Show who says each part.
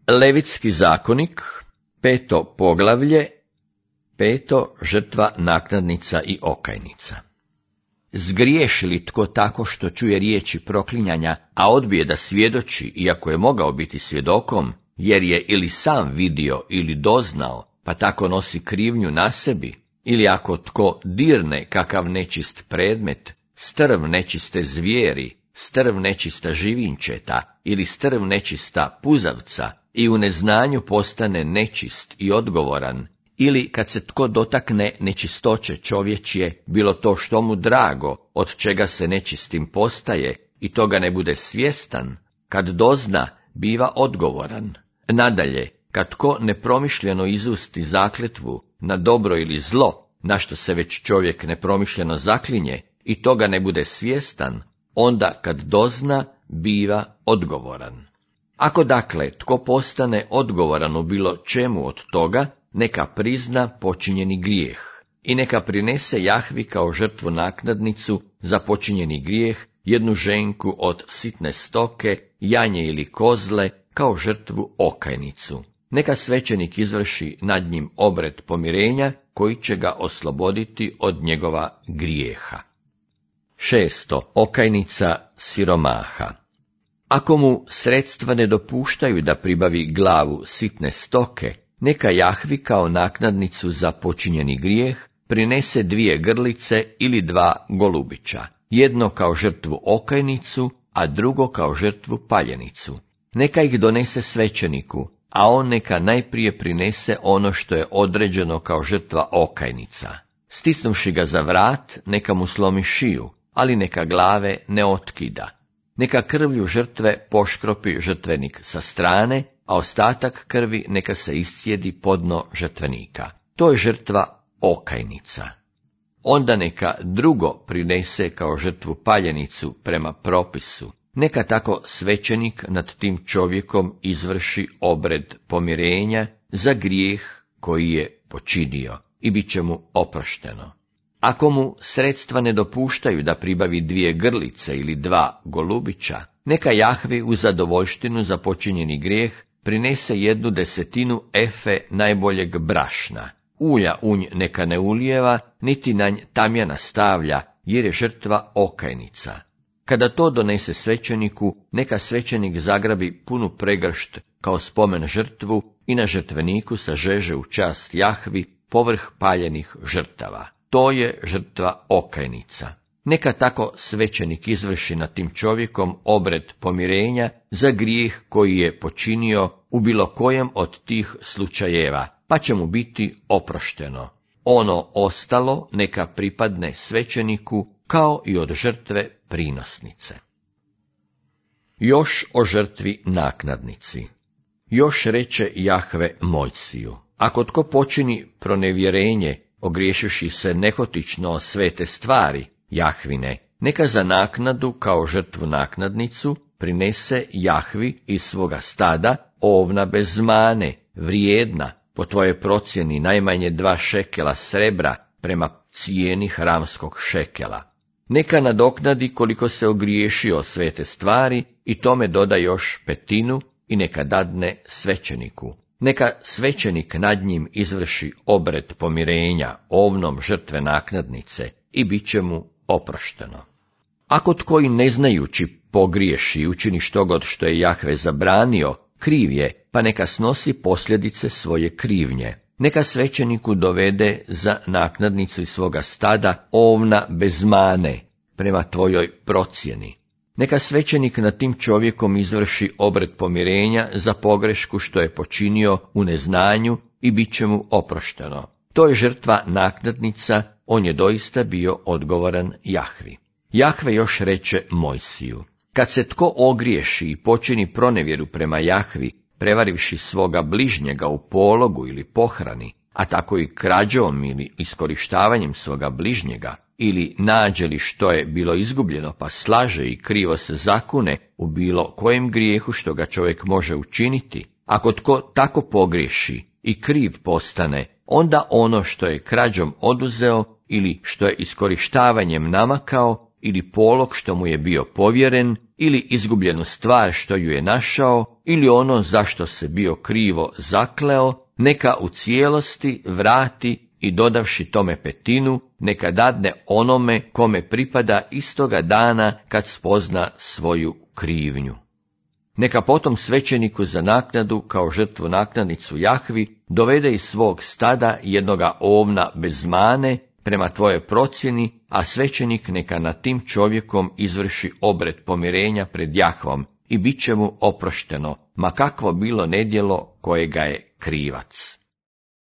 Speaker 1: Levitski zakonik, 5. poglavlje, 5. žrtva, naknadnica i okajnica. Zgriješi li tko tako što čuje riječi proklinjanja, a odbije da svjedoči, iako je mogao biti svjedokom, jer je ili sam vidio ili doznao, pa tako nosi krivnju na sebi, ili ako tko dirne kakav nečist predmet, strv nečiste zvijeri, strv nečista živinčeta ili strv nečista puzavca, i u neznanju postane nečist i odgovoran, ili kad se tko dotakne nečistoće čovječje, bilo to što mu drago, od čega se nečistim postaje, i toga ne bude svjestan, kad dozna, biva odgovoran. Nadalje, kad tko nepromišljeno izusti zakletvu na dobro ili zlo, na što se već čovjek nepromišljeno zaklinje, i toga ne bude svjestan, onda kad dozna, biva odgovoran. Ako dakle tko postane odgovoran u bilo čemu od toga, neka prizna počinjeni grijeh i neka prinese Jahvi kao žrtvu naknadnicu za počinjeni grijeh jednu ženku od sitne stoke, janje ili kozle, kao žrtvu okajnicu. Neka svećenik izvrši nad njim obred pomirenja, koji će ga osloboditi od njegova grijeha. 6. okajnica siromaha. Ako mu sredstva ne dopuštaju da pribavi glavu sitne stoke, neka Jahvi kao naknadnicu za počinjeni grijeh prinese 2 grlice ili 2 golubića, jedno kao žrtvu okajnicu, a drugo kao žrtvu paljenicu. Neka ih donese svećeniku, a on neka najprije prinese ono što je određeno kao žrtva okajnica. Stisnuvši ga za vrat, neka mu slomi šiju, ali neka glave ne otkida. Neka krvlju žrtve poškropi žrtvenik sa strane, a ostatak krvi neka se iscijedi po dno žrtvenika. To je žrtva okajnica. Onda neka drugo prinese kao žrtvu paljenicu prema propisu. Neka tako svećenik nad tim čovjekom izvrši obred pomirenja za grijeh koji je počinio i bit će mu oprošteno. Ako mu sredstva ne dopuštaju da pribavi 2 grlice ili 2 golubića, neka Jahvi u zadovoljštinu za počinjeni grijeh prinese 1/10 efe najboljeg brašna. Ulja u nj neka ne ulijeva, niti na nj tamjana stavlja, jer je žrtva okajnica. Kada to donese svećeniku, neka svećenik zagrabi punu pregršt kao spomen žrtvu i na žrtveniku sažeže u čast Jahvi povrh paljenih žrtava. To je žrtva okajnica. Neka tako svećenik izvrši nad tim čovjekom obred pomirenja za grijeh koji je počinio u bilo kojem od tih slučajeva, pa će mu biti oprošteno. Ono ostalo neka pripadne svećeniku kao i od žrtve prinosnice. Još o žrtvi naknadnici. Još reče Jahve Mojsiju: ako tko počini pronevjerenje, ogriješivši se nehotično o svete stvari Jahvine, neka za naknadu kao žrtvu naknadnicu prinese Jahvi iz svoga stada ovna bez mane, vrijedna, po tvojoj procjeni najmanje 2 šekela srebra prema cijeni hramskog šekela. Neka nadoknadi koliko se ogriješio o svete stvari i tome doda još 1/5 i neka dadne svećeniku. Neka svećenik nad njim izvrši obred pomirenja ovnom žrtve naknadnice i bit će mu oprošteno. Ako tko i ne znajući pogriješi i učini štogod što je Jahve zabranio, kriv je, pa neka snosi posljedice svoje krivnje. Neka svećeniku dovede za naknadnicu iz svoga stada ovna bez mane, prema tvojoj procjeni. Neka svećenik nad tim čovjekom izvrši obred pomirenja za pogrešku što je počinio u neznanju i bit će mu oprošteno. To je žrtva naknadnica, on je doista bio odgovoran Jahvi. Jahve još reče Mojsiju: kad se tko ogriješi i počini pronevjeru prema Jahvi, prevarivši svoga bližnjega u pologu ili pohrani, a tako i krađom ili iskorištavanjem svoga bližnjega, ili nađe li što je bilo izgubljeno pa slaže i krivo se zakune u bilo kojem grijehu što ga čovjek može učiniti, ako tko tako pogriješi i kriv postane, onda ono što je krađom oduzeo ili što je iskorištavanjem namakao ili polog što mu je bio povjeren ili izgubljenu stvar što ju je našao, ili ono zašto se bio krivo zakleo, neka u cijelosti vrati i dodavši tome petinu, neka dadne onome kome pripada istoga dana kad spozna svoju krivnju. Neka potom svećeniku za naknadu kao žrtvu naknadnicu Jahvi dovede iz svog stada jednoga ovna bez mane prema tvojoj procjeni, a svećenik neka nad tim čovjekom izvrši obred pomirenja pred Jahvom i bit će mu oprošteno, ma kakvo bilo nedjelo kojega je krivac.